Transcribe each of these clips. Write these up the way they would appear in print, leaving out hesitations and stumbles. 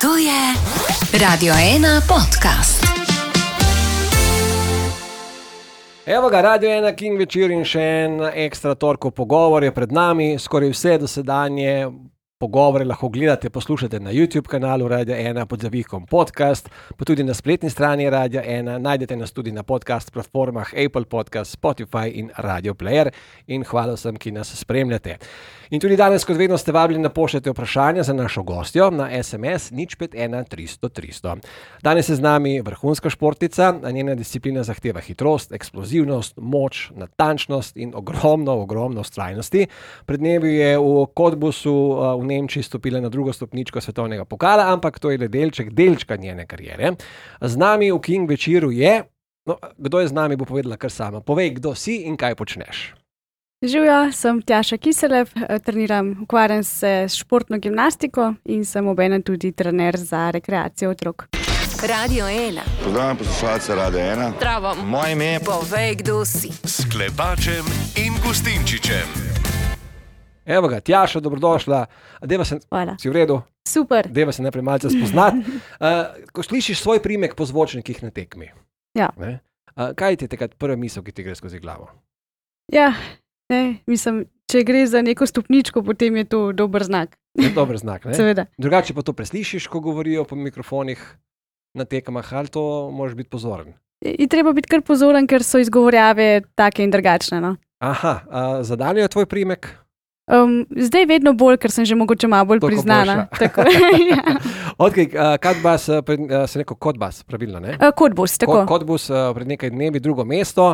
To je Radio 1 podcast. Evo ga, Radio 1 King večer in še en ekstra torkov pogovor je pred nami. Skoraj vse dosedanje pogovore lahko gledate, poslušate na YouTube kanalu Radio 1 pod zavihkom podcast, pa tudi na spletni strani Radio 1. Najdete nas tudi na podcast platformah Apple Podcast, Spotify in Radio Player. In hvala vsem, ki nas spremljate. In tudi danes, kot vedno, ste vabljeni, da pošljete vprašanja za našo gostjo na SMS 051 300 300. Danes je z nami vrhunska športnica, njena disciplina zahteva hitrost, eksplozivnost, moč, natančnost in ogromno vztrajnosti. Pred dnevi je v Cottbusu v Nemčiji stopila na drugo stopničko svetovnega pokala, ampak to je le delčka njene kariere. Z nami v King večeru je, kdo je z nami, bo povedala kar sama. Povej, kdo si in kaj počneš. Živijo, sem Tjaša Kiselev, ukvarjam se s športno gimnastiko in sem obenem tudi trener za rekreacijo otrok. Radio 1. Pozdravljam poslušalce Radio 1. Zdravo. Moje ime je... Povej, kdo si. S Klepačem in Gustinčičem. Evo ga, Tjaša, dobrodošla. Hvala. Si v redu? Super. Deva se najprej malce spoznati. Ko slišiš svoj primek po zvočnikih na tekmi, Ja. Kaj ti je takrat prva misel, ki ti gre skozi glavo? Ja, mislim, če gre za neko stopničko, potem je to dober znak. Je dober znak, ne? Seveda. Drugače pa to preslišiš, ko govorijo po mikrofonih na tekmah, ali to moraš biti pozoren? Je treba biti kar pozoren, ker so izgovorjave take in drugačne. No? Aha, za Danijo je tvoj primek? Zdaj vedno bolj, ker sem že mogoče malo bolj Toliko priznana. Tako, ja. Odkaj, Cottbus, se neko Cottbus, pravilno, ne? Cottbus, tako. Cottbus pred nekaj dnevi drugo mesto,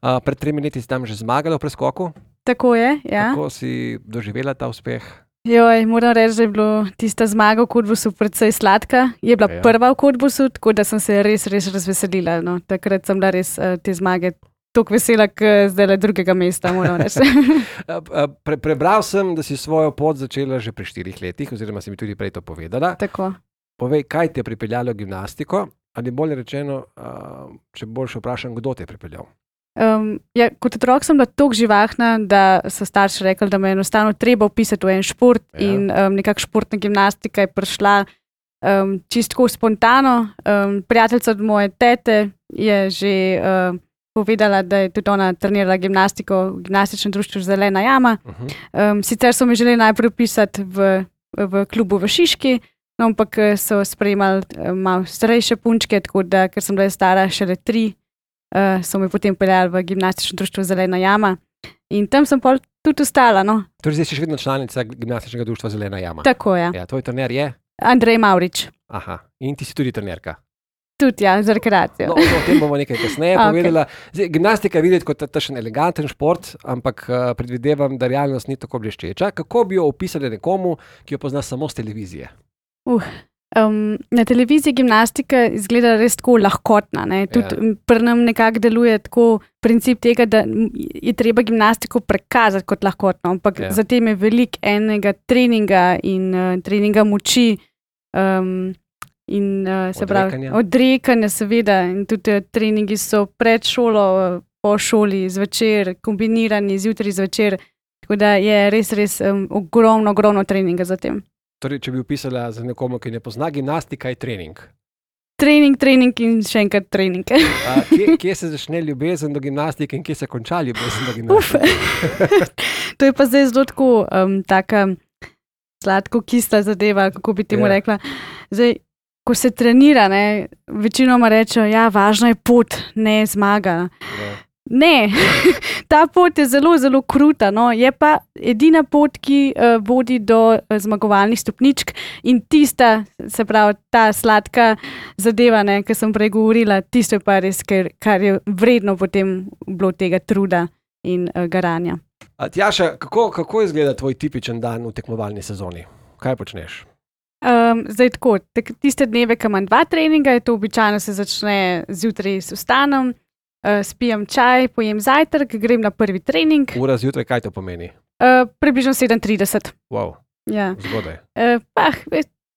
pred 3 leti si tam že zmagala v preskoku. Tako je, ja. Kako si doživela ta uspeh? Joj, moram reči, da je bilo tista zmaga v Cottbusu precej sladka. Je bila prva v Cottbusu, tako da sem se res razveselila. No. Takrat sem bila res te zmage toliko vesela, kot zdaj drugega mesta, moram reči. Prebral sem, da si svojo pot začela že pri 4 letih, oziroma si mi tudi prej to povedala. Tako. Povej, kaj te je pripeljalo v gimnastiko, ali bolje rečeno, če bolj še vprašam, kdo te je pripeljal? Kot otrok sem bila toliko živahna, da so starši rekli, da me je enostavno treba vpisati v en šport in nekako športna gimnastika je prišla čisto spontano. Prijateljica od moje tete je že povedala, da je tudi ona trenirala gimnastiko v gimnastičnem društvu Zelena jama. Sicer so me želeli najprej vpisati v klubu v Šiški, no, ampak so sprejemali malo starejše punčke, tako da, ker sem bila stara šele 3, so me potem peljali v gimnastično društvo Zelena jama in tam sem pol tudi ostala. No. Torej, zdaj si še vedno članica gimnastičnega društva Zelena jama? Tako, ja. Ja, tvoj trener je? Andrej Mavrič. Aha, in ti si tudi trenerka? Tudi, ja, za rekreacijo. No, o tem bomo nekaj kasneje povedala. Zdaj, gimnastika je videti kot takšen eleganten šport, ampak predvidevam, da realnost ni tako bleščeča. Kako bi jo opisali nekomu, ki jo pozna samo z televizije? Na televiziji gimnastika izgleda res tako lahkotna. Tudi pri nam nekako deluje tako princip tega, da je treba gimnastiko prikazati kot lahkotno, ampak zatem je veliko enega treninga in treninga moči in se pravi odrekanja, seveda, in tudi treningi so pred šolo, po šoli, zvečer, kombinirani zjutraj zvečer, tako da je res ogromno treninga za tem. Torej, če bi opisala za nekomu, ki ne pozna, gimnastika je trening. Trening in še enkrat trening. Kje se začne ljubezen do gimnastike in kje se konča ljubezen do gimnastike? To je pa zdaj zelo tako taka sladko-kisla zadeva, kako bi temu rekla. Zdaj, ko se trenira, večinoma rečejo, važna je pot, ne zmaga. Ne, ta pot je zelo kruta, no. Je pa edina pot, ki vodi do zmagovalnih stopničk in tista, se pravi, ta sladka zadeva, ki sem prej govorila, tisto je pa res, kar je vredno potem bilo tega truda in garanja. Tjaša, kako izgleda tvoj tipičen dan v tekmovalni sezoni? Kaj počneš? Zdaj tako, tiste dneve, ko imam 2 treninga, to običajno se začne zjutraj s vstanom, spijem čaj, pojem zajtrk, grem na prvi trening. Ura zjutraj, kaj to pomeni? Približno 7:30. Wow, ja. Zgodaj.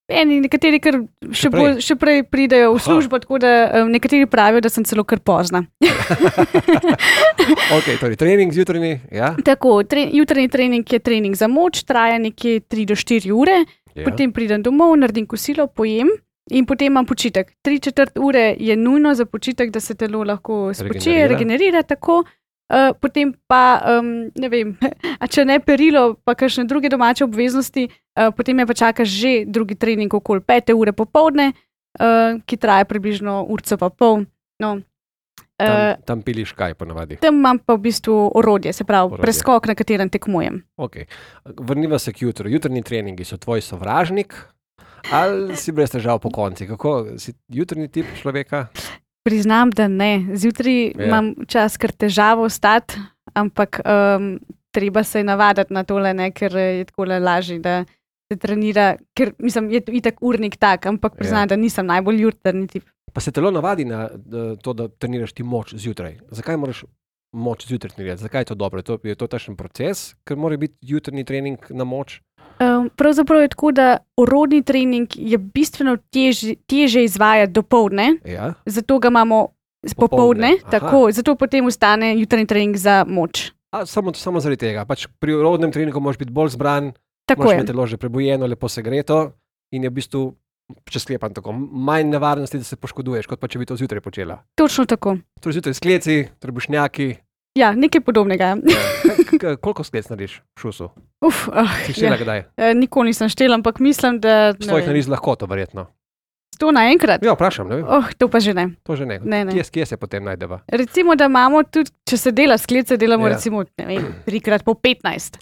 Nekateri kar še prej pridejo v službo, tako da nekateri pravijo, da sem celo kar pozna. Ok, torej trening zjutrajni, ja? Tako, jutranji trening je trening za moč, traja nekje 3 do 4 ure, potem pridem domov, naredim kosilo, pojem In potem imam počitek. 3/4 ure je nujno za počitek, da se telo lahko spočije, regenerira tako. Potem pa, ne vem, a če ne perilo, pa kakšne druge domače obveznosti, potem me pa čaka že drugi trening okoli 5 ure popoldne, ki traja približno urco pa pol. No, tam piliš kaj ponavadi? Tam imam pa v bistvu orodje, se pravi preskok, na katerem tekmujem. Okay. Vrniva se k jutru. Jutrni treningi so tvoj sovražnik ali si brez težav po konci? Kako si jutrni tip človeka? Priznam, da ne. Zjutraj imam čas kar težavo vstati, ampak treba se navaditi na tole, ne, ker je tako lažje, da se trenira, ker mislim, je itak urnik tak, ampak priznam, da nisem najbolj jutrni tip. Pa se telo navadi na to, da treniraš ti moč zjutraj. Zakaj moraš moč zjutraj trenirati? Zakaj je to dobro? Je to takšen proces, ker mora biti jutrni trening na moč? Pravzaprav je tako, da orodni trening je bistveno težje izvajati dopoldne, zato ga imamo popoldne, tako, zato potem ostane jutranji trening za moč. Samo zaradi tega. Pač pri orodnem treningu moraš biti bolj zbran, moraš imeti telo že prebujeno, lepo segreto in je v bistvu, če sklepam tako, manj nevarnosti, da se poškoduješ, kot pa če bi to zjutraj počela. Točno tako. Torej zjutraj skleci, trebušnjaki. Ja, nekaj podobnega. Koliko sklec narediš v šusu? Si štela kdaj? Nikoli nisem štela, ampak mislim, da... Svojih narediš lahko to verjetno. 100 naenkrat? Ja, vprašam, ne vem. To pa že ne. To že ne. Kje se potem najdeva? Recimo, da imamo tudi, če se dela sklece, delamo recimo, ne vem, 3x po 15.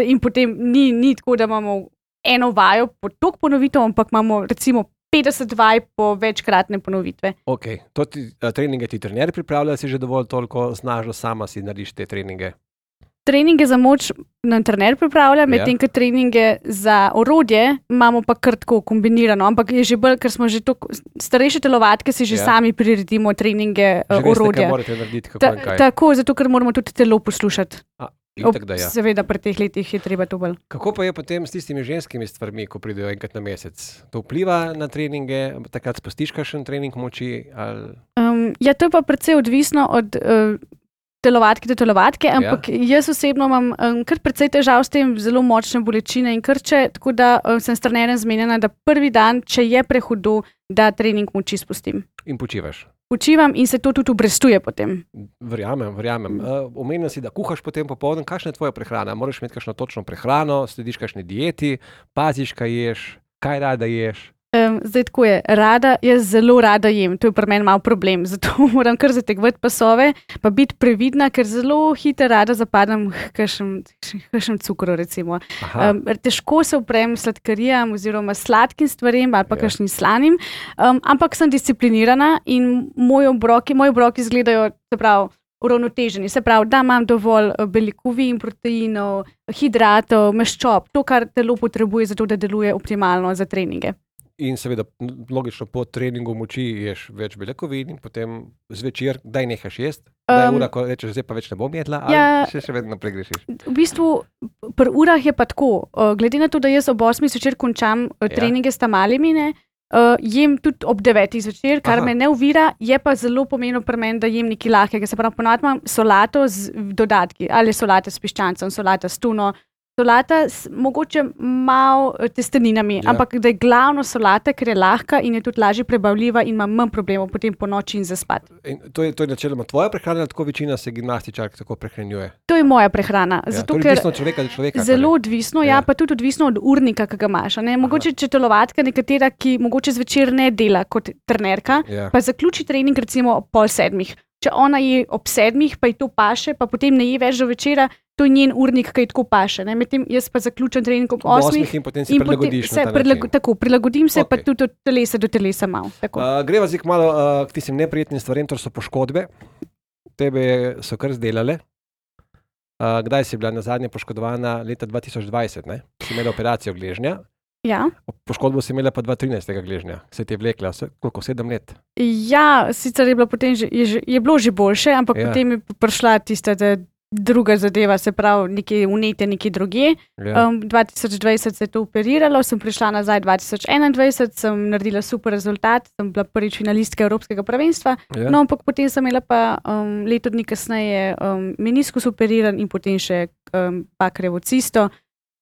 In potem ni tako, da imamo eno vajo po toliko ponovitev, ampak imamo recimo 50 vaj po večkratne ponovitve. Ok, to treninge ti trener pripravlja, si že dovolj toliko znaš, da sama si narediš te treninge? Treninge za moč nam trener pripravlja, medtem ko treninge za orodje imamo pa kar tako kombinirano, ampak je že bolj, ker smo že toliko starejše telovadke, si že sami priredimo treninge orodja. Že veste, kaj morate narediti, kako in kaj. Tako, zato ker moramo tudi telo poslušati. Seveda, pri teh letih je treba to bolj. Kako pa je potem s tistimi ženskimi stvarmi, ko pridejo enkrat na mesec? To vpliva na treninge, takrat spustiš kakšen trening moči? Ja, to je pa precej odvisno od telovadke do telovadke, ampak jaz osebno imam kar precej težav s tem, zelo močne bolečine in krče, tako da sem s trenerjem zmenjena, da prvi dan, če je prehudo, da trening moči spustim. In počivaš? Počivam in se to tudi obrestuje potem. Verjamem. Omenil si, da kuhaš potem popoldan. Kakšna je tvoja prehrana? Moraš imeti kakšno točno prehrano, slediš kakšni dieti, paziš, kaj ješ, kaj rada ješ? Zdaj tako je, jaz zelo rada jem, to je pri meni malo problem, zato moram kar zategovati pasove, pa biti previdna, ker zelo hitro rada zapadam kakšnem cukru recimo. Težko se uprem sladkarijam oziroma sladkim stvarem ali pa kakšnim slanim, ampak sem disciplinirana in moji obroki izgledajo, se pravi, uravnoteženi. Se pravi, da imam dovolj beljakovin, proteinov, hidratov, maščob, to, kar telo potrebuje za to, da deluje optimalno za treninge. In seveda, logično, po treningu moči ješ več beljakovin in potem zvečer, daj nehaš jesti? Da je ura, ko rečeš, zdaj pa več ne bom jedla, ali še vedno pregrešiš? V bistvu, pri urah je pa tako. Glede na to, da jaz ob 8 zvečer končam treninge s tamalimi, jem tudi ob 9 zvečer, kar me ne ovira, je pa zelo pomembno pri meni, da jem nekaj lahkega. Se pravi, ponavadi imam solato z dodatki, ali solata s piščancem, solata s tuno, solata mogoče malo testeninami, ampak da je glavno solata, ker je lahka in je tudi lažje prebavljiva in ima manj problemov potem po noči in zaspati. To je načeloma tvoja prehrana, tako večina se gimnastičark tako prehranjuje? To je moja prehrana. Zato, to je odvisno od človeka do človeka. Zelo odvisno, pa tudi odvisno od urnika, ki ga imaš. Mogoče če telovadka nekatera, ki mogoče zvečer ne dela kot trenerka, pa zaključi trening recimo ob 6:30. Če ona je ob 7, pa ji to paše, pa potem ne je več do večera, to je njen urnik, ki ji tako paše. Medtem jaz pa zaključim trening ob 8. In potem si prilagodiš na ta način. Tako, prilagodim se pa tudi od telesa do telesa malo. Greva zdaj malo k tistim neprijetnim stvarem, to so poškodbe. Tebe so kar zdelale. Kdaj si bila nazadnje poškodovana? Leta 2020, ne? Si imela operacijo gležnja. Ja. Poškodbo si imela pa 2013. gležnja. Se ti je vlekla, koliko, 7 let? Ja, sicer je bilo potem je bilo že boljše, ampak potem je prišla tista druga zadeva, se pravi, nekje vnetje, nekje drugje. 2020 se je to operiralo, sem prišla nazaj 2021, sem naredila super rezultat, sem bila prvič finalistka Evropskega prvenstva, no, ampak potem sem imela pa leto dni kasneje meniskus operiran in potem še Bakrejevo cisto.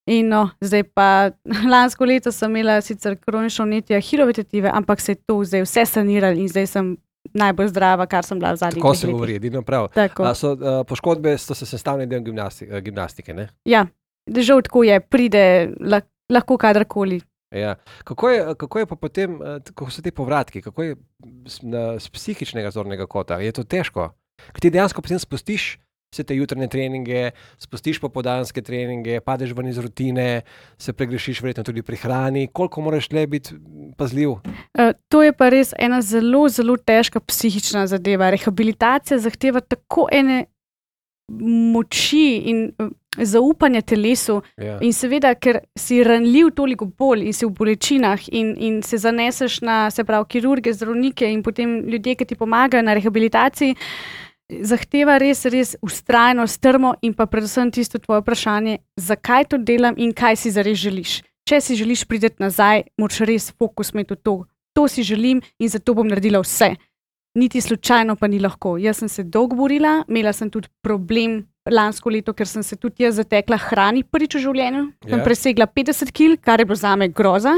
In no, zdaj pa lansko leto sem imela sicer kronično vnetje ahilove tetive, ampak se je to zdaj vse saniralo in zdaj sem najbolj zdrava, kar sem bila v zadnjih Tako letih. se govori, edino prav. Tako. Poškodbe so se sestavni del gimnastike, ne? Ja, žal tako je, pride lahko kadarkoli. Ja. Kako je pa potem, kako so ti povratki, kako je z psihičnega zornega kota? Je to težko? Ker ti dejansko potem spustiš vse te jutranje treninge, spustiš popoldanske treninge, padeš ven iz rutine, se pregrešiš verjetno tudi pri hrani. Koliko moraš tle biti pazljiv? To je pa res ena zelo, zelo težka psihična zadeva. Rehabilitacija zahteva tako ene moči in zaupanja telesu. Ja. In seveda, ker si ranljiv toliko bolj in si v bolečinah in se zaneseš na, se pravi, kirurge, zdravnike in potem ljudje, ki ti pomagajo na rehabilitaciji, zahteva res, res vztrajnost, strmo in pa predvsem tisto tvoje vprašanje, zakaj to delam in kaj si zares želiš. Če si želiš priti nazaj, moraš res fokus imeti v to. To si želim in zato bom naredila vse. Niti slučajno pa ni lahko. Jaz sem se dolgo borila, imela sem tudi problem lansko leto, ker sem se tudi jaz zatekla hrani prvič v življenju. Sem presegla 50 kg, kar je bilo zame groza,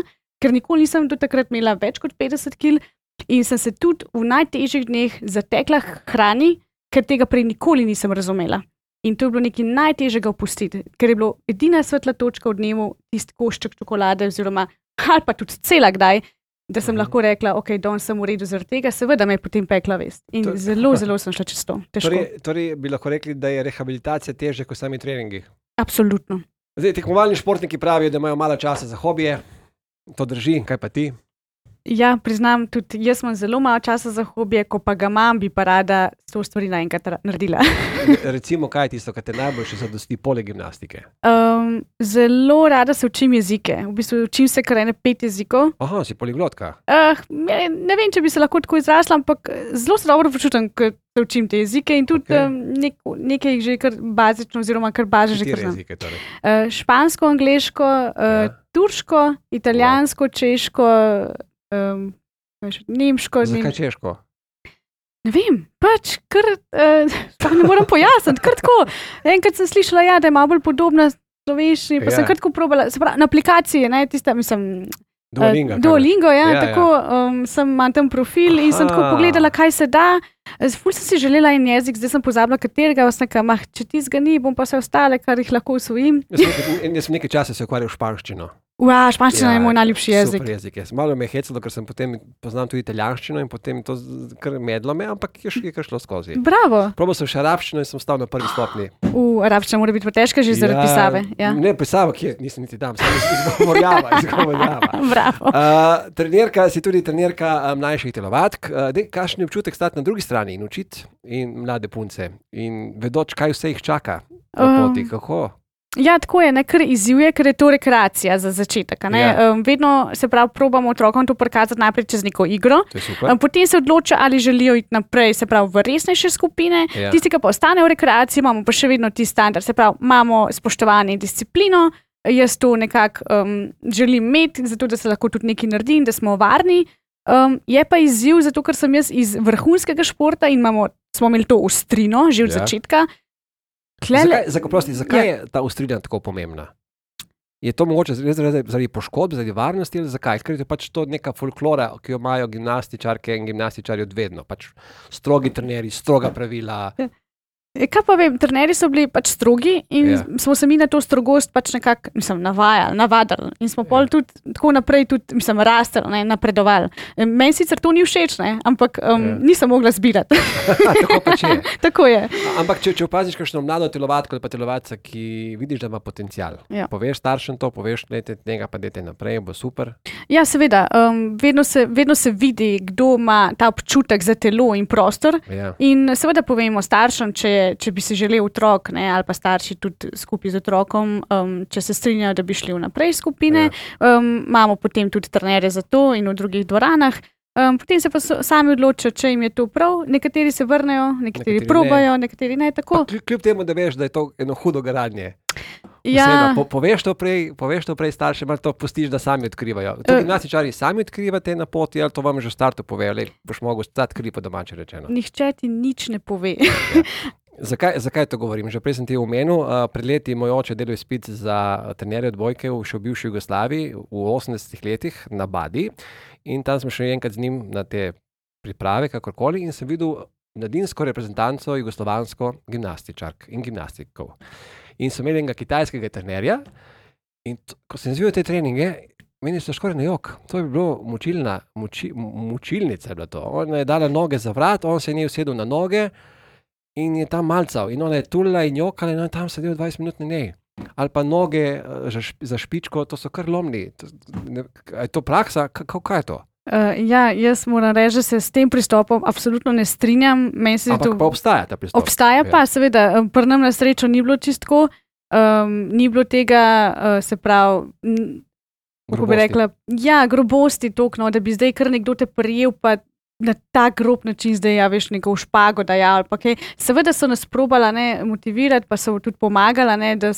ker nikoli nisem do takrat imela več kot 50 kg in sem se tudi v najtežjih dneh zatekla hrani, ker tega prej nikoli nisem razumela. In to je bilo nekaj najtežjega opustiti, ker je bilo edina svetla točka v dnevu tisti košček čokolade oziroma ali pa tudi cela kdaj, da sem lahko rekla, ok, danes sem v redu zaradi tega, seveda me je potem pekla vest. In zelo sem šla čez to. Torej bi lahko rekli, da je rehabilitacija težja kot sami treningi? Absolutno. Zdaj, tekmovalni športniki pravijo, da imajo malo časa za hobije. To drži, kaj pa ti? Ja, priznam, tudi jaz imam zelo malo časa za hobije, ko pa ga imam, bi pa rada to stvari naenkrat naredila. Recimo, kaj je tisto, kar te najbolj še zadosti poleg gimnastike? Zelo rada se učim jezike. V bistvu učim se kar 5 jezikov. Aha, si poliglotka. Ne vem, če bi se lahko tako izrasla, ampak zelo se dobro počutim, ko se učim te jezike in tudi nekaj že kar bazično oziroma kar baže že kar znam. Jezike, torej? Špansko, angleško, turško, italijansko, češko, nemško. Zakaj češko? Ne vem, pač kar ne moram pojasniti, kar tako. Enkrat sem slišala, ja, da je malo bolj podobna slovenščini, pa sem kar tako probala, se pravi, na aplikaciji, ne, tista, mislim, Duolingo, ja, tako imam tam profil in sem tako pogledala, kaj se da. Ful sem si želela en jezik, zdaj sem pozabila katerega, če tizga ni, bom pa vse ostale, kar jih lahko usvojim. Jaz sem nekaj časa se ukvarjal s španščino. Španščina je moj najljubši jezik. Super jezik je. Malo me je hecalo, ker sem potem poznam tudi italijanščino in potem to kar medlo me, ampak je kar šlo skozi. Bravo. Probal sem še arabščino in sem stal na prvi stopni. Arabščina mora biti pa težka že zaradi pisave. Ja. Ne, pisava, ki nisem niti tam, sem izgovorjava. Bravo. Trenerka, si tudi trenerka mlajših telovadk. Kakšen je občutek stati na drugi strani in učiti in mlade punce in vedoč, kaj vse jih čaka na poti, kako? Ja, tako je, kar izzivuje, ker je to rekreacija za začetek. Vedno se pravi, probamo otrokom to prikazati najprej čez neko igro, potem se odloča, ali želijo iti naprej, se pravi, v resnejše skupine. Tisti, ki pa ostane v rekreaciji, imamo pa še vedno ti standard, se pravi, imamo spoštovanje in disciplino. Jaz to nekako želim imeti, zato da se lahko tudi nekaj naredi in da smo varni. Je pa izziv, zato ker sem jaz iz vrhunskega športa in smo imeli to ostrino že od začetka. Zakaj je ta ostrina tako pomembna? Je to mogoče zaradi poškodb, zaradi varnosti ali zakaj? Ker je pač to neka folklora, ki jo imajo gimnastičarke in gimnastičarji od vedno. Pač strogi trenerji, stroga pravila. Kaj pa vem, trenerji so bili pač strogi in smo se mi na to strogost pač nekako navadili in smo pol tudi tako naprej tudi, rastli, napredovali. Meni sicer to ni všeč, ampak nisem mogla zbirati. Tako pač je. Tako je. Ampak če opaziš kakšno mlado telovadko ali pa telovadca, ki vidiš, da ima potencial, poveš staršem to, poveš, tega pa dajte naprej, bo super. Ja, seveda, vedno se vidi, kdo ima ta občutek za telo in prostor in seveda povemo staršem, če bi si želel otrok, ali pa starši tudi skupaj z otrokom, če se strinjajo, da bi šli vnaprej skupine. Imamo potem tudi trenerje za to in v drugih dvoranah. Potem se pa sami odločijo, če jim je to prav. Nekateri se vrnejo, nekateri probajo, nekateri ne tako. Kljub temu, da veš, da je to eno hudo garanje. Ja. Poveš to prej staršem, ali to pustiš, da sami odkrivajo. To gimnastičarji sami odkrivate na poti, ali to vam že v startu povejo, boš mogel stati kri po domače rečeno. Nihče ti nič ne pove. Zakaj to govorim? Že prej sem ti omenil, pred leti moj oče delal izpit za trenerja odbojke še v bivši Jugoslaviji v 80 letih na Badi in tam smo šli enkrat z njim na te priprave, kakorkoli, in sem videl mladinsko reprezentanco jugoslovansko gimnastičark in gimnastikov. In so imeli enega kitajskega trenerja in ko sem izvidel te treninge, meni so skoraj na jok. To je bilo mučilnica je bila to. Ona je dala noge za vrat, on se je njej usedel na noge in je tam malcal. In ona je tulila in jokala in on je tam sedel 20 minut na njej. Ali pa noge za špičko, to so kar lomni. Je to praksa? Kaj je to? Jaz moram reči, da se s tem pristopom absolutno ne strinjam. Ampak pa obstaja ta pristop. Obstaja pa, seveda, pri nam na srečo ni bilo čistko, ni bilo tega, se pravi, kako bi rekla, grobosti toliko, da bi zdaj kar nekdo te prijel, pa na tak grob način zdaj, veš, neko špago daja ali pa kaj. Seveda so nas probala motivirati, pa so tudi pomagala, da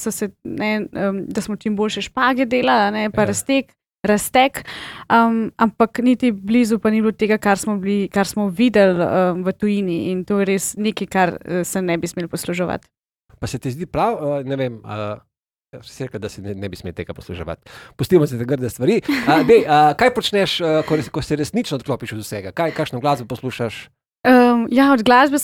smo čim boljše špage delali, pa raztek, ampak niti blizu pa ni bilo tega, kar smo videli v tujini in to je res nekaj, kar se ne bi smeli posluževati. Pa se ti zdi prav, ne vem, si rekel, da se ne bi smeli tega posluževati. Pustimo se te grde stvari. Kaj počneš, ko se resnično odklopiš od vsega? Kakšno glasbo poslušaš? Od glasbe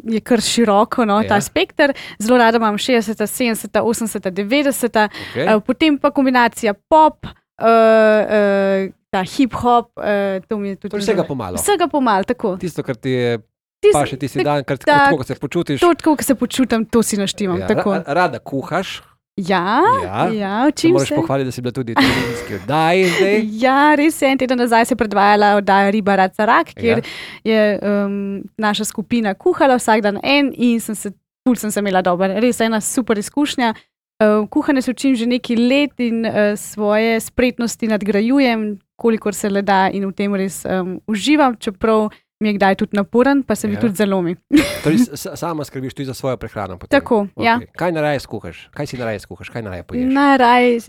je kar široko, ta spekter. Zelo rada imam 60, 70, 80, 90, potem pa kombinacija pop, ta hip-hop, to mi je tudi... Vsega pomalo. Vsega pomalo, tako. Tisto, kar ti je pa še tisti dan, tako, ko se počutiš. Tako, ko se počutim, to si naštimam. Rada kuhaš. Ja, učim se. Moraš pohvaliti, da si bila tudi televizijski oddaji zdaj. Ja, res je, en teden nazaj se predvajala oddaja Riba Raca Rak, kjer je naša skupina kuhala vsak dan in sem se imela dobro. Res ena super izkušnja. Kuhanje se učim že nekaj let in svoje spretnosti nadgrajujem, kolikor se le da in v tem res uživam, čeprav mi je kdaj tudi naporen, pa se mi tudi zalomi. Torej, sama skrbiš tudi za svojo prehrano potem? Tako, ja. Kaj najraje skuhaš? Kaj si najraje skuhaš? Kaj najraje poješ? Najraje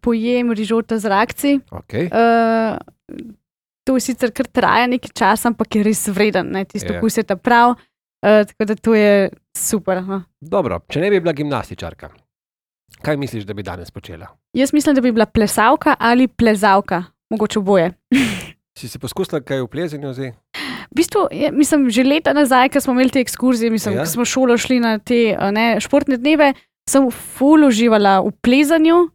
pojem rižota z rakci. To sicer kar traja nekaj časa, ampak je res vreden, tisto okus je ta prav, tako da to je super. Dobro, če ne bi bila gimnastičarka, kaj misliš, da bi danes počela? Jaz mislim, da bi bila plesavka ali plezavka, mogoče oboje. Si poskusila kaj v plezanju zdaj? V bistvu, mislim, že leta nazaj, ko smo imeli te ekskurzije, ko smo šolo šli na te športne dneve, sem ful uživala v plezanju.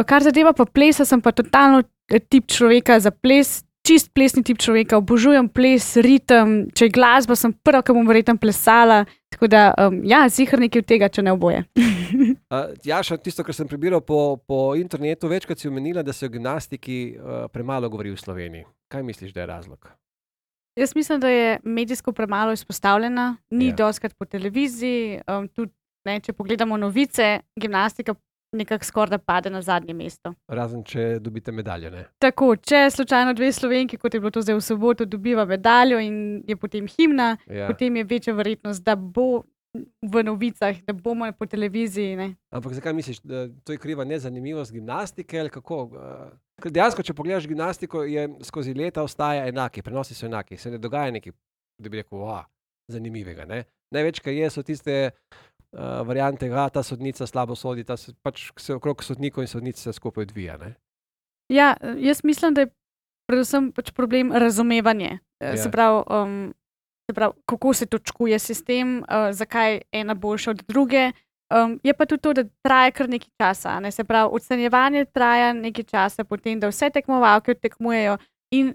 Kar zadeva pa plesa, sem pa totalno tip človeka za ples, čist plesni tip človeka, obožujem ples, ritem, če je glasba, sem prva, ki bom verjetno plesala. Tako da, ziher nekaj od tega, če ne oboje. Jaša, tisto, kar sem prebiral po internetu, večkrat si omenila, da se o gimnastiki premalo govori v Sloveniji. Kaj misliš, da je razlog? Jaz mislim, da je medijsko premalo izpostavljena, ni dostikrat po televiziji, tudi če pogledamo novice, gimnastika nekako skoraj pade na zadnje mesto. Razen, če dobite medaljo, ne? Tako, če slučajno dve Slovenki, kot je bilo to zdaj v soboto, dobiva medaljo in je potem himna, potem je večja verjetnost, da bo v novicah, da bomo po televiziji. Ne? Ampak zakaj misliš, da to je kriva nezanimivost gimnastike ali kako? Ker dejansko, če pogledaš gimnastiko, je skozi leta ostaja enaki, prenosi so enaki, se ne dogaja nekaj, da bi rekel, zanimivega. Ne? Največ, kar so tiste variante, ta sodnica slabo sodi, pač se okrog sodnikov in sodnic se skupaj odvija. Ne? Ja, jaz mislim, da je predvsem pač problem razumevanje. Se pravi, kako se točkuje sistem, zakaj ena boljša od druge. Je pa tudi to, da traja kar nekaj časa. Ne? Se pravi, ocenjevanje traja nekaj časa, potem, da vse tekmovalke tekmujejo in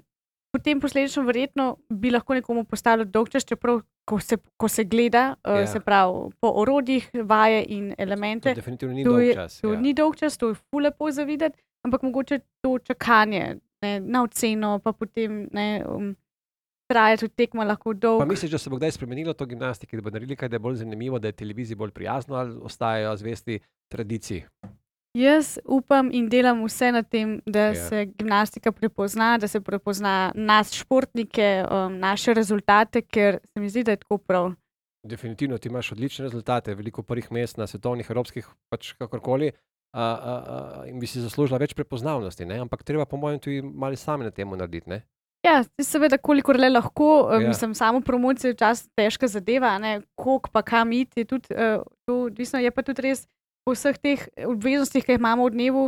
potem posledično verjetno bi lahko nekomu postalo dolgčas, čeprav ko se gleda, se pravi, po orodjih, vaje in elemente. To definitivno ni dolgčas. To ni dolgčas, to je ful lepo za videti, ampak mogoče to čakanje na oceno, pa potem traja tudi tekma lahko dolgo. Pa misliš, da se bo kdaj spremenilo to gimnastiki, da bo naredili kaj, da je bolj zanimivo, da je televiziji bolj prijazno ali ostajajo zvesti tradiciji? Jaz upam in delam vse na tem, da se gimnastika prepozna, da se prepozna nas športnike, naše rezultate, ker se mi zdi, da je tako prav. Definitivno, ti imaš odlične rezultate, veliko prvih mest na svetovnih, evropskih, pač kakorkoli, in bi si zaslužila več prepoznavnosti, ne? Ampak treba po mojem tudi malo sami na temu narediti, ne? Ja, seveda, kolikor le lahko, Ja. mislim, samo promocija je včasih težka zadeva, ne, koliko pa kam iti, je tudi to odvisno, je pa tudi res po vseh teh obveznostih, ki jih imamo v dnevu,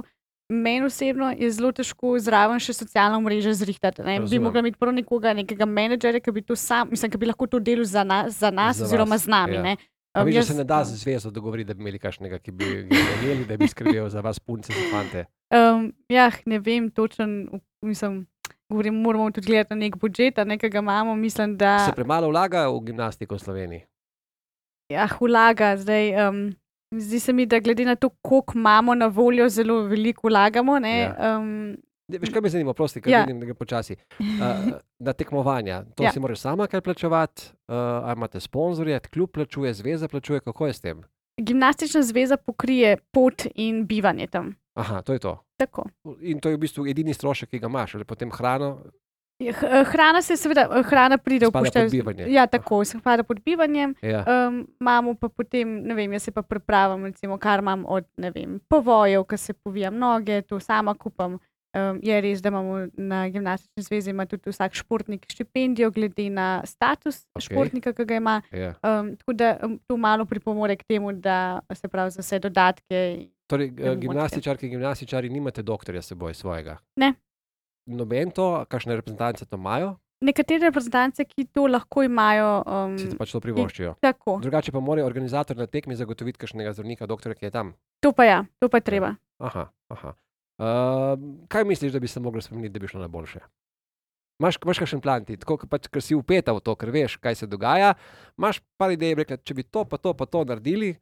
meni osebno je zelo težko zraven še socialno mrežo zrihtati. Ne. Bi Razumem. mogla imeti prvo nekega menedžerja, ki bi to sam, mislim, ki bi lahko to delal za nas Za oziroma vas, z nami. ja. Ne. Pa vidiš, da Jaz- se ne da z zvezo dogovoriti, da bi imeli kakšnega, ki bi ga imeli, da bi skrbel za vas punce, za fante. Ja, ne vem točen, mislim, govorim, moramo tudi gledati na nek budžet, nekega imamo, mislim, da Se premalo vlaga v gimnastiko v Sloveniji? vlaga. Zdaj, zdi se mi, da glede na to, koliko imamo na voljo, zelo veliko vlagamo. Ne, Ja. Veš, kaj me zanima, prosti, ker Ja. vidim, da gre počasi. Na tekmovanja, to Ja. si moraš sama kaj plačevati, ali imate sponzorje, klub plačuje, zveza plačuje, kako je s tem? Gimnastična zveza pokrije pot in bivanje tam. Aha, to je to. Tako. In to je v bistvu edini strošek, ki ga imaš, ali potem hrano, Hrana se seveda, hrana pride v spada poštev. pod bivanje. Ja, tako, se spada pod bivanjem. Ja. Imamo pa potem, ne vem, jaz se pa pripravim, recimo, kar imam od, ne vem, povojev, ki se povijam noge, to sama kupam. Je res, da imamo na gimnastični zvezi ima tudi vsak športnik štipendijo, glede na status Okej. športnika, ki ga ima. Ja. Tako da to malo pripomore k temu, da se pravi za vse dodatke. Torej, Ne bo gimnastičarki, gimnastičari nimate doktorja s seboj svojega? Ne. Noben to, kakšne reprezentance to imajo, Nekatere reprezentance, ki to lahko imajo, si pač to privoščijo. tako. Drugače pa mora organizator na tekmi zagotoviti kakšnega zdravnika, doktorja, ki je tam. To pa ja, to pa je treba. Aha, aha. Kaj misliš, da bi se moglo spremeniti, da bi šlo na boljše? Imaš kakšen plan ti, tako pač, ker si upeta v to, ker veš, kaj se dogaja, imaš par idej, rekla, če bi to pa to naredili,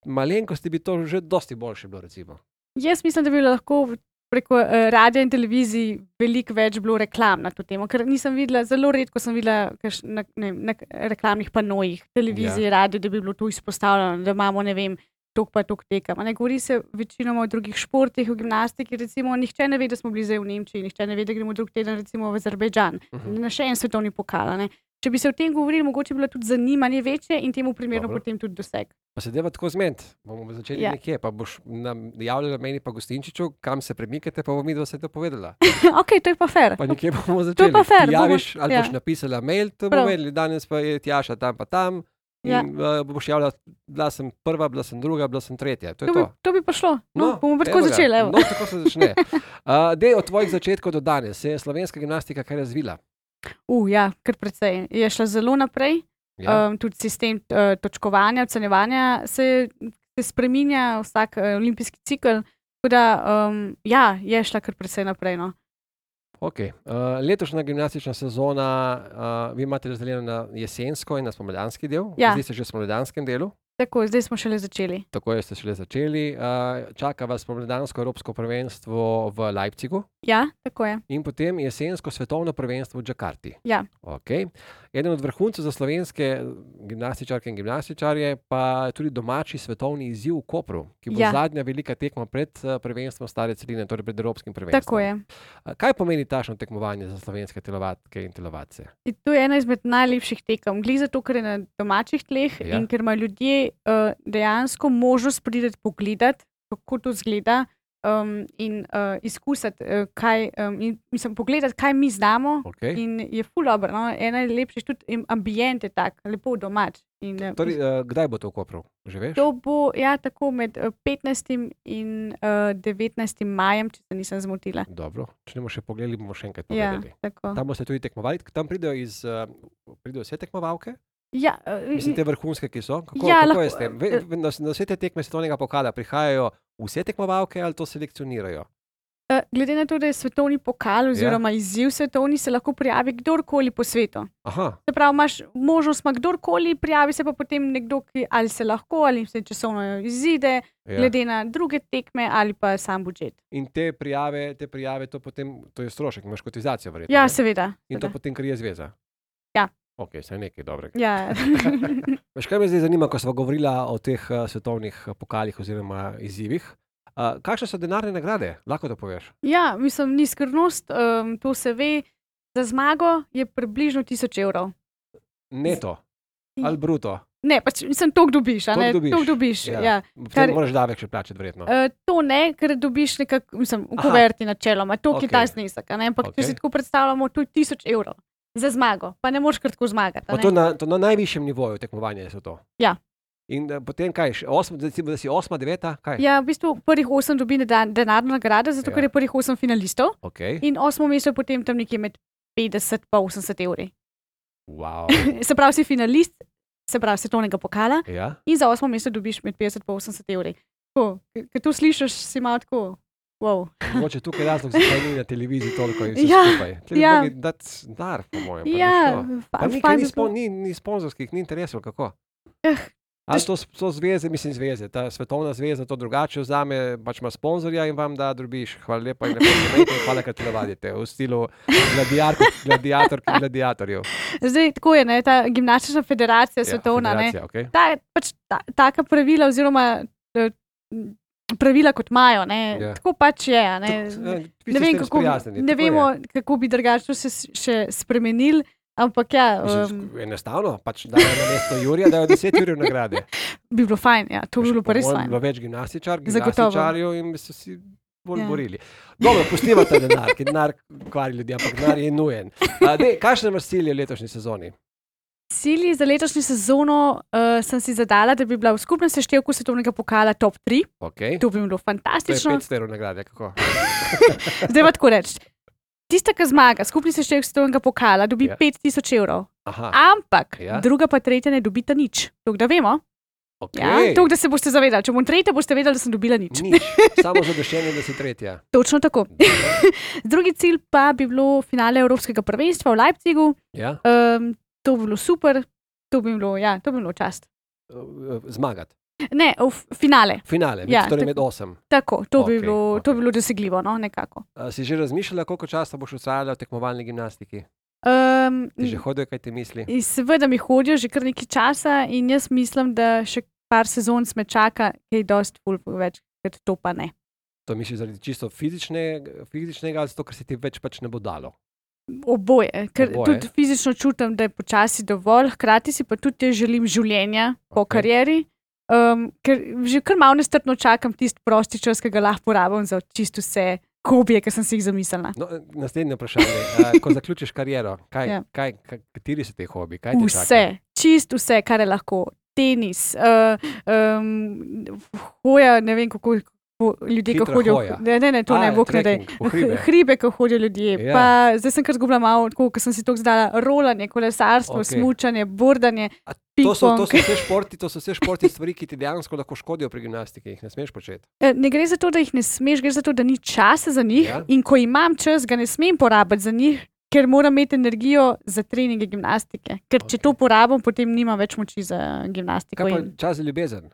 malenkosti bi to že dosti boljše bilo, recimo. Jaz mislim, da bi lahko preko radia in televizij veliko več bilo reklam na to temo, ker nisem videla, zelo redko sem videla na reklamnih panojih, televiziji, radio, da bi bilo to izpostavljeno, da imamo, ne vem, tok pa tok tekem. Ne govori se večinoma o drugih športih, o gimnastiki, recimo, nihče ne ve, da smo bili zdaj v Nemčiji, nihče ne ve, da gremo drug teden recimo v Azerbejdžan, na še en svetovni pokal. Ne. Če bi se o tem govorili, mogoče bi bilo tudi zanimanje večje in temu primerno Dobro. potem tudi doseg. Pa se deva tako zmed, bomo začeli Ja. nekje, pa boš nam javljala meni pa Gostinčiču, kam se premikate, pa bom mi dva se to povedala. Ok, to je pa fair. Pa nekje bomo To začeli. je pa fair, Ti javiš, bomo- ali ja. boš napisala mail, to Prav. bomo vedeli, danes pa je Tjaša tam pa tam. Ja. In boš javljala, bila sem prva, bila sem druga, bila sem tretja. To je To to. bi, to bi pa šlo. No, bomo pa tako evo ga. začeli. Evo. No, tako se začne. Dej od tvojih začetkov do danes, se je slovenska gimnastika kaj razvila? Ja, kar precej. Je šla zelo naprej. Ja? Tudi sistem točkovanja, ocenjevanja se spreminja vsak olimpijski cikl. Tako da, ja, je šla kar precej naprej. No. Okay. Letošnja gimnastična sezona, vi imate razdeljeno na jesensko in na spomladanski del. Ja. Zdaj ste že v spomladanskem delu. Tako, zdaj smo šele začeli. Tako ste šele začeli. Čaka vas spomladansko evropsko prvenstvo v Leipzigu Ja, tako je. in potem jesensko svetovno prvenstvo v Džakarti. Ja. Okay. Eden od vrhuncev za slovenske gimnastičarke in gimnastičarje pa je tudi domači svetovni izziv v Kopru, ki bo Ja. zadnja velika tekma pred prvenstvom stare celine, torej pred evropskim prvenstvom. Tako je. Kaj pomeni tašno tekmovanje za slovenske telovadke in telovadce? In to je ena izmed najlepših tekem. Glede zato, ker je na domačih tleh Ja. in ker imajo ljudje dejansko možnost priti pogledati, kako to izgleda. In izkusiti, pogledati, kaj mi znamo. Okay. In je ful dobro. No? Ena je lepša, tudi ambient je tak, lepo domač. In, Torej, kdaj bo to v Kopru? Že veš? to bo ja, tako med 15. in 19. majem, če se nisem zmotila. Dobro, če ne bomo še pogledali, bomo še enkrat Ja, povedali. tako. Tam boste tudi tekmovali, tam pridejo vse tekmovalke, Ja, mislim, te vrhunske, ki so. Kako, Ja, kako je lahko- s tem? Na vse te tekme svetovnega pokala prihajajo vse tekmovalke ali to selekcionirajo? glede na to, da je svetovni pokal oziroma izziv svetovni, se lahko prijavi kdorkoli po svetu. Aha, Se pravi, imaš možnost, ima kdorkoli, prijavi se pa potem nekdo, ki ali se lahko, ali se časovno izide, ja. glede na druge tekme ali pa sam budžet. In te prijave, to potem, to je strošek, imaš kotizacijo verjetno. Ja, ne? seveda. In to seveda. potem krije zveza. Ja. Ok, saj nekaj dobrega. Ja. Veš, kaj me zdaj zanima, ko smo govorili o teh svetovnih pokalih oziroma izzivih? Kakšne so denarne nagrade? Lahko to poveš? Ja, mislim, ni skrivnost, to se ve. Za zmago je približno 1000 evrov. Neto ali bruto? Ne, pač mislim, toliko dobiš, a ne? Toliko dobiš, ja. Potem moraš davek še plačati, verjetno. To ne, ker dobiš nekako, mislim, v kuverti načeloma, to je ta znesek, ampak če si tako predstavljamo, to je 1000 evrov za zmago, pa ne moreš kar tako zmagati. To na najvišjem nivoju tekmovanja je to. Ja. In potem kaj, da si 8, 9, kaj? Ja, v bistvu prvih 8 dobi denarno nagrado, zato ker je prvih 8 finalistov. Okay. In 8 mesto potem tam nekje med 50 pa 80 evri. Wow. Se pravi, si finalist, se pravi, svetovnega pokala. Ja. In za 8 mesto dobiš med 50 pa 80 evri. Ker to slišiš, si malo tako. Wow. Mogoče tukaj je razlog, zakaj ni na televiziji toliko in vse skupaj. Ja. Dati dar, po mojem. Ja, ni sponzorskih, ni interesov, kako? Ali to zveze, mislim zveze, ta svetovna zveza to drugače vzame, pač ima sponzorja in vam da drobiš. Hvala lepa in lepo imejte in hvala, kar telovadite. V stilu gladiatorjev. Zdaj, tako je, ne, ta gimnastična federacija svetovna, okay. Pač taka pravila oziroma pravila, kot imajo, ne, tako pač je. Ne vemo, kako bi drugače se še spremenili. Ampak ja. Enostavno, pač dajo na mesto Jurija, dajo 10 Jurijev nagrade. Bi bilo fajn, ja, to bi bilo pa res fajn. Bi bilo več gimnastičarjev in bi se vsi bolj borili. Dobro, pustimo ta denar, ker denar kvari ljudi, ampak denar je nujen. Kakšne imaš cilje v letošnji sezoni? Cilji za letošnjo sezono sem si zadala, da bi bila v skupnem seštevku svetovnega pokala top 3. Okay. To bi bilo fantastično. To je 500 evrov nagrade, kako? Zdaj pa tako reči. Tista, ki zmaga, skupni seštevek svetovnega pokala, dobi 5000 evrov. Aha. Ampak druga pa tretja ne dobita nič. To, da vemo. Okay. Ja, to, da se boste zavedali. Če bom tretja, boste vedeli, da sem dobila nič. Samo zadoščenje, da si tretja. Točno tako. Drugi cilj pa bi bilo finale Evropskega prvenstva v Leipzigu. Ja. To bi bilo super. To bi bilo čast. Zmagati. Ne, finale. Torej med 8. Tako, to bi bilo dosegljivo, no, nekako. Si že razmišljala, koliko časa boš ustrajala v tekmovalni gimnastiki? Ti že hodijo, kaj ti misli? Seveda mi hodijo že kar nekaj časa in jaz mislim, da še par sezon me čaka, kaj dosti več, ker to pa ne. To misliš zaradi čisto fizičnega ali zato, ker se ti več pač ne bo dalo? Oboje, ker tudi fizično čutim, da je počasi dovolj, hkrati si pa tudi želim življenja po karieri. Ker že kar malo nestrpno čakam tisti prosti čas, ki ga lahko porabim za čisto vse hobije, ki sem si jih zamislila. No, naslednje vprašanje. Ko zaključiš kariero, kateri so te hobiji? Vse, čisto vse, kar je lahko. Tenis, hoja, ne vem kako ljudje, ki hodijo. Ne, to ne bo kdaj. Hribe, ki hodijo ljudje. Ja. Pa zdaj sem kar zgubila malo, ko sem si to zdala, rolanje, kolesarstvo, smučanje, bordanje. To so vse športi stvari, ki ti dejansko lahko škodijo pri gimnastiki, jih ne smeš početi. Ne gre za to, da jih ne smeš, gre za to, da ni časa za njih in ko imam čas, ga ne smem porabiti za njih, ker moram imeti energijo za treninge gimnastike. Ker če to porabim, potem nimam več moči za gimnastiko. Kaj pa čas za ljubezen?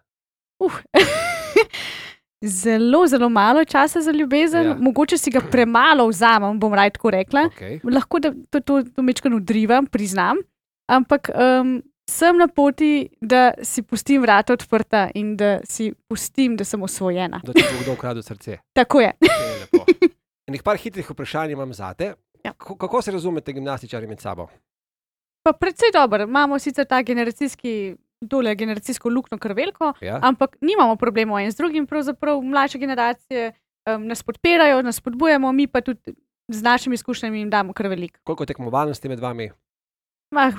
Zelo, zelo malo časa za ljubezen, mogoče si ga premalo vzamem, bom raje tako rekla. Lahko da to mečkano odrivam, priznam, ampak sem na poti, da si pustim vrata odprta in da si pustim, da sem osvojena. Da ti bo kdo ukradel srce. Tako je. Enih par hitrih vprašanj imam zate. Ja. Kako se razumete gimnastičari med sabo? Pa predvsej dobro. Imamo sicer ta generacijsko luknjo kar veliko, ampak nimamo problemov en z drugim. Pravzaprav mlajše generacije nas podpirajo, nas spodbujamo, mi pa tudi z našimi izkušnjami jim damo kar veliko. Koliko tekmovalnosti med vami?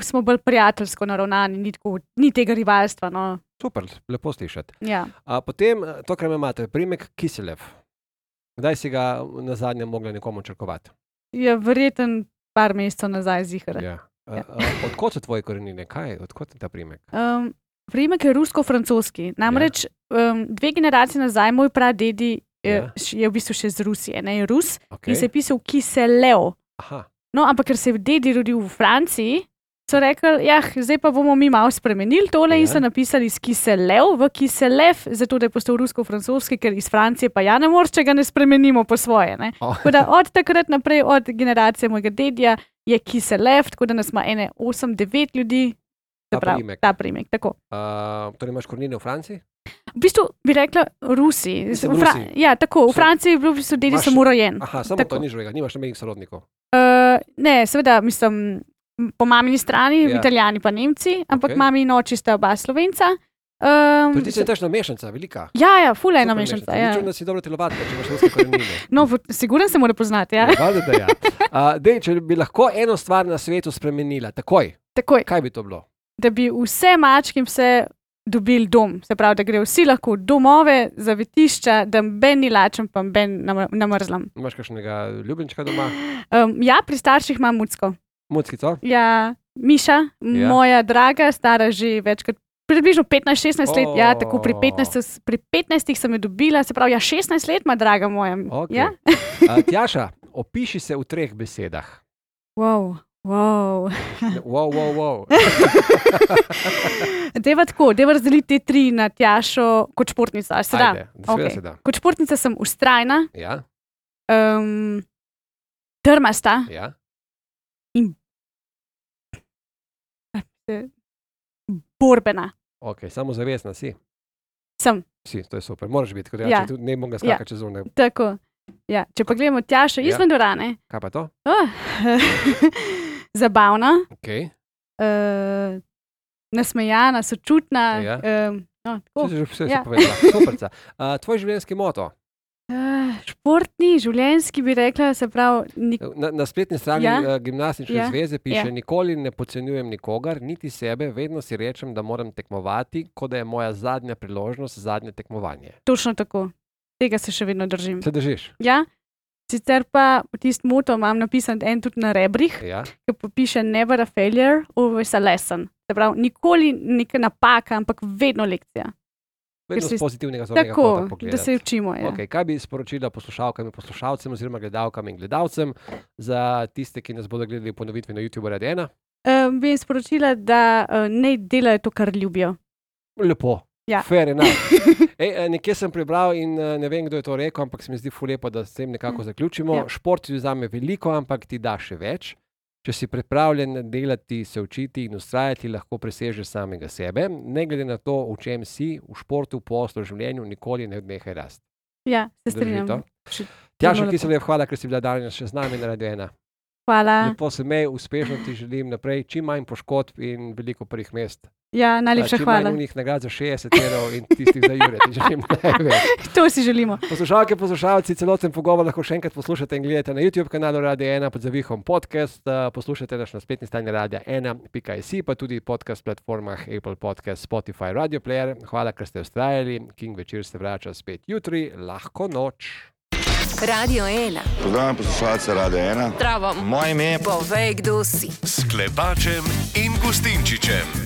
Smo bolj prijateljsko naravnani, ni tega rivalstva. No. Super, lepo slišati. Ja. Potem to, kar imate, priimek Kiselev. Kdaj si ga na zadnje mogla nekomu črkovati? Ja, verjetno par mesecev nazaj zihar. Ja. Odkot so tvoje korenine? Odkot je ta priimek? Priimek je rusko-francoski. Namreč 2 generacije nazaj moj pradedi je v bistvu še z Rusije. Ne, je Rus in se je pisal Kiselev. No, ampak ker se je dedi rodil v Franciji, so rekli, zdaj pa bomo mi malo spremenili tole in so napisali iz Kiselev v Kiselev, zato da je postal rusko-francoski, ker iz Francije pa ne moreš, če ga ne spremenimo po svoje. Od takrat naprej, od generacije mojega dedja, je Kiselev, tako da nas ima 8-9 ljudi. Ta priimek, tako. Torej imaš korenine v Franciji? V bistvu bi rekla Rusi. Ja, tako. V Franciji je bil v bistvu dedi samo rojen. Aha, samo tako. To ni živega, nimaš nobenih sorodnikov. Ne, seveda, mislim, po mamini strani, Ja. Italijani pa Nemci, ampak Okej. mami in oči sta oba Slovenca. Tudi ti si težna mešanica, velika. Ja, ful ena Super mešanica. Nič, Ja. da si dobro telovadka, če imaš ruske korenine. No, sigurno se mora poznati, ja. Valjda, da ja. Dej, če bi lahko eno stvar na svetu spremenila, takoj, Takoj, kaj bi to bilo? da bi vse mačke in vse dobili dom. Se pravi, da grejo vsi lahko v domove, zavetišča, da ben ni lačen, pa ben namrzlam. Imaš kakšnega ljubljenčka doma? Ja, pri starših imam mucko. Muckico? Ja, Miša, Ja. moja draga, stara že večkrat. Približno 15-16 let, ja, tako pri 15 sem jo dobila, se pravi, ja, 16 let ima draga moja. Okay. Ja? Tjaša, opiši se v 3 besedah. Wow. Wow, wow, wow. Deva tako, deva razdeliti te 3 na Tjašo kot športnica. Se da? Ajde, seveda Okej. se da. Kot športnica sem vztrajna, Ja, trmasta, ja. borbena. Ok, samozavestna si. Sem. Si, to je super. Moraš biti, kot Ja. ja. Tudi ne bom ga skakati čez zunaj. Tako. Ja. Če pa gledamo Tjašo Ja. izven dvorane, Kaj pa to? zabavna, Ok. nasmejana, sočutna. Ja. No, tako. Vse si Ja. povedala. Superca. Tvoj življenjski moto? Športni, življenjski bi rekla, se pravi, Na spletni strani Ja. Gimnastične Ja. zveze piše: Ja. Nikoli ne podcenjujem nikogar, niti sebe, vedno si rečem, da moram tekmovati, kot da je moja zadnja priložnost, zadnje tekmovanje. točno tako. Tega se še vedno držim. Se držiš? Ja? Sicer pa tisti moto imam napisan en tudi na rebrih, Ja. ki pa piše never a failure, always a lesson. Se pravi, nikoli neka napaka, ampak vedno lekcija. Vedno si- z pozitivnega zornega Tako, kota da pogledati. se učimo. Ja. Okay, kaj bi sporočila poslušalkam in poslušalcem, oziroma gledalkam in gledalcem, za tiste, ki nas bodo gledali v ponovitvi na YouTube Radio 1? Bi jim sporočila, da ne delajo to, kar ljubijo. Lepo. Ja. Fair enough. Nekje sem prebral in ne vem, kdo je to rekel, ampak se mi zdi ful lepo, da s tem nekako zaključimo. Ja. Šport ti vzame veliko, ampak ti da še več. Če si pripravljen delati, se učiti in ustrajati, lahko presežeš samega sebe. Ne glede na to, v čem si, v športu, v poslu, v življenju, nikoli ne odnehaj rasti. Ja, se Drži strinjam. to? Še- Tjaša lepo. Kiselev, hvala, ker si bila danes še z nami na Radio 1. Hvala. Lepo se mej, uspešno ti želim naprej, čim manj poškodb in veliko prvih mest. Ja, najlepša čim hvala. manj unih nagrad za 60 evrov in tistih za Jure, ti želim največ. To si želimo. Poslušalke, poslušalci, celoten pogovor lahko še enkrat poslušate in gledate na YouTube kanalu Radio 1 pod zavihom podcast. Poslušate nas na spletni strani radio1.si, pa tudi podcast platformah Apple Podcast, Spotify, Radio Player. Hvala, ker ste vztrajali. King večer se vrača spet jutri. Lahko noč. Radio 1. Pozdravljam poslušalce Radio 1. Zdravo. Moje ime je Povej, kdo si. S Klepačem in Gustinčičem.